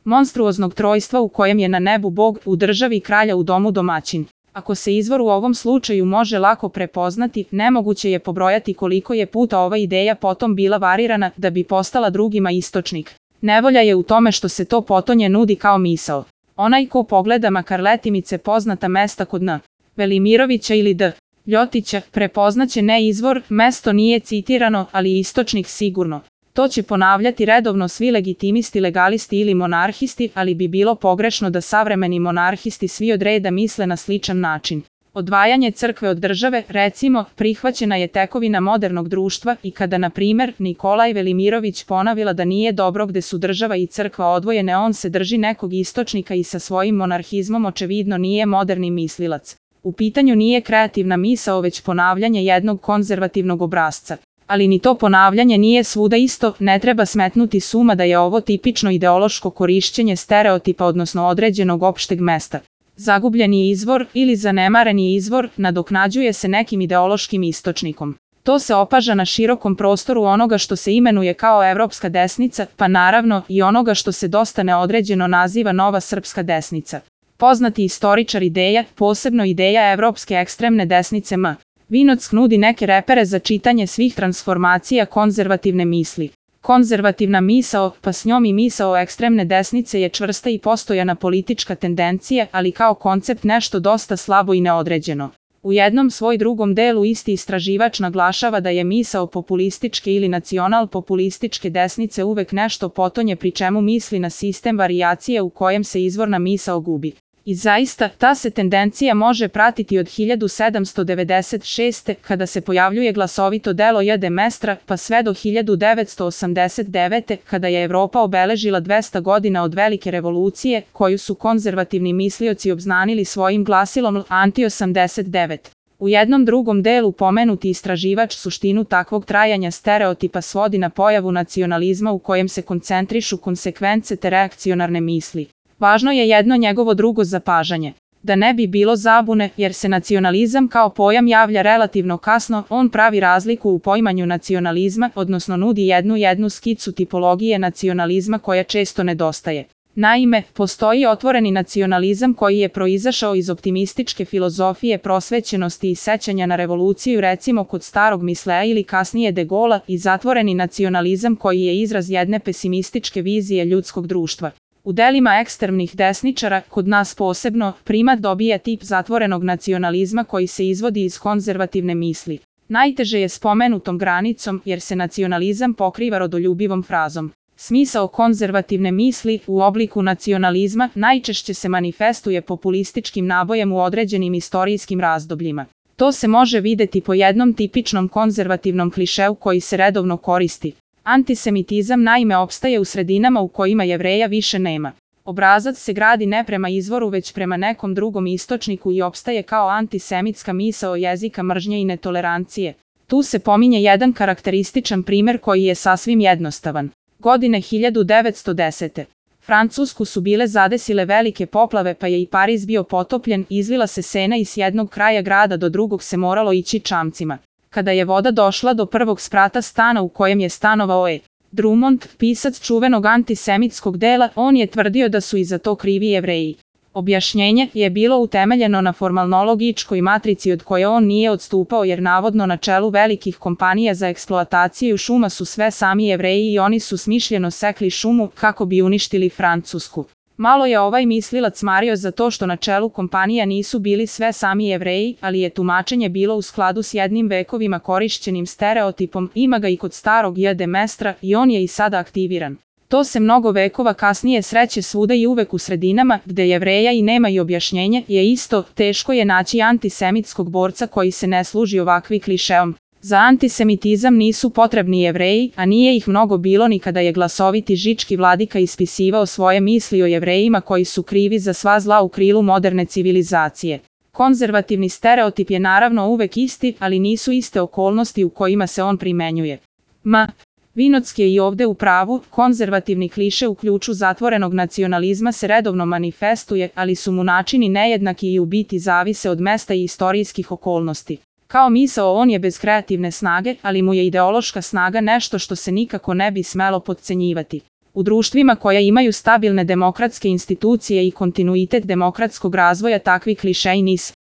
monstruoznog trojstva u kojem je na nebu Bog, u državi kralja, u domu domaćin. Ako se izvor u ovom slučaju može lako prepoznati, nemoguće je pobrojati koliko je puta ova ideja potom bila varirana da bi postala drugima istočnik. Nevolja je u tome što se to potonje nudi kao misao. Onaj ko pogleda makar letimice poznata mesta kod N. Velimirovića ili D. Ljotića, prepoznaće ne izvor, mesto nije citirano, ali istočnik sigurno. To će ponavljati redovno svi legitimisti, legalisti ili monarhisti, ali bi bilo pogrešno da savremeni monarhisti svi od reda misle na sličan način. Odvajanje crkve od države, recimo, prihvaćena je tekovina modernog društva i kada, na primjer, Nikolaj Velimirović ponavila da nije dobro gde su država i crkva odvojene, on se drži nekog istočnika i sa svojim monarhizmom očevidno nije moderni mislilac. U pitanju nije kreativna misao, već ponavljanje jednog konzervativnog obrasca. Ali ni to ponavljanje nije svuda isto, ne treba smetnuti s uma da je ovo tipično ideološko korišćenje stereotipa, odnosno određenog opšteg mesta. Zagubljeni izvor ili zanemareni izvor nadoknađuje se nekim ideološkim istočnikom. To se opaža na širokom prostoru onoga što se imenuje kao evropska desnica, pa naravno i onoga što se dosta neodređeno naziva nova srpska desnica. Poznati istoričar ideja, posebno ideja evropske ekstremne desnice M. Vinock nudi neke repere za čitanje svih transformacija konzervativne misli. Konzervativna misao, pa s njom i misao ekstremne desnice, je čvrsta i postojana politička tendencija, ali kao koncept nešto dosta slabo i neodređeno. U jednom svoj drugom delu isti istraživač naglašava da je misao populističke ili nacional-populističke desnice uvek nešto potonje, pri čemu misli na sistem varijacije u kojem se izvorna misao gubi. I zaista, ta se tendencija može pratiti od 1796. kada se pojavljuje glasovito delo J. de Maistre, pa sve do 1989. kada je Evropa obeležila 200 godina od Velike revolucije, koju su konzervativni mislioci obznanili svojim glasilom Anti-89. U jednom drugom delu pomenuti istraživač suštinu takvog trajanja stereotipa svodi na pojavu nacionalizma u kojem se koncentrišu konsekvence te reakcionarne misli. Važno je jedno njegovo drugo zapažanje. Da ne bi bilo zabune, jer se nacionalizam kao pojam javlja relativno kasno, on pravi razliku u poimanju nacionalizma, odnosno nudi jednu skicu tipologije nacionalizma koja često nedostaje. Naime, postoji otvoreni nacionalizam koji je proizašao iz optimističke filozofije prosvećenosti i sećanja na revoluciju, recimo kod starog Misleja ili kasnije De Gaulea, i zatvoreni nacionalizam koji je izraz jedne pesimističke vizije ljudskog društva. U delima ekstremnih desničara, kod nas posebno, primat dobija tip zatvorenog nacionalizma koji se izvodi iz konzervativne misli. Najteže je s pomenutom granicom, jer se nacionalizam pokriva rodoljubivom frazom. Smisao konzervativne misli u obliku nacionalizma najčešće se manifestuje populističkim nabojem u određenim istorijskim razdobljima. To se može videti po jednom tipičnom konzervativnom klišeu koji se redovno koristi. Antisemitizam naime opstaje u sredinama u kojima Jevreja više nema. Obrazac se gradi ne prema izvoru već prema nekom drugom istočniku i opstaje kao antisemitska misao jezika mržnje i netolerancije. Tu se pominje jedan karakterističan primer koji je sasvim jednostavan. Godine 1910. Francusku su bile zadesile velike poplave, pa je i Pariz bio potopljen, izlila se Sena i s jednog kraja grada do drugog se moralo ići čamcima. Kada je voda došla do prvog sprata stana u kojem je stanovao E. Drummond, pisac čuvenog antisemitskog dela, on je tvrdio da su i za to krivi Jevreji. Objašnjenje je bilo utemeljeno na formalnologičkoj matrici od koje on nije odstupao, jer navodno na čelu velikih kompanija za eksploataciju šuma su sve sami Jevreji i oni su smišljeno sekli šumu kako bi uništili Francusku. Malo je ovaj mislilac mario za to što na čelu kompanija nisu bili sve sami Jevreji, ali je tumačenje bilo u skladu s jednim vekovima korišćenim stereotipom, ima ga i kod starog J. de Maistre i on je i sada aktiviran. To se mnogo vekova kasnije sreće svuda i uvek u sredinama gde Jevreja i nema i objašnjenje je isto, teško je naći antisemitskog borca koji se ne služi ovakvi klišeom. Za antisemitizam nisu potrebni Jevreji, a nije ih mnogo bilo ni kada je glasoviti žički vladika ispisivao svoje misli o Jevrejima koji su krivi za sva zla u krilu moderne civilizacije. Konzervativni stereotip je naravno uvek isti, ali nisu iste okolnosti u kojima se on primenjuje. Vinock je i ovde u pravu, konzervativni kliše u ključu zatvorenog nacionalizma se redovno manifestuje, ali su mu načini nejednaki i u biti zavise od mesta i istorijskih okolnosti. Kao misao on je bez kreativne snage, ali mu je ideološka snaga nešto što se nikako ne bi smelo potcenjivati. U društvima koja imaju stabilne demokratske institucije i kontinuitet demokratskog razvoja takvi klišeji nisu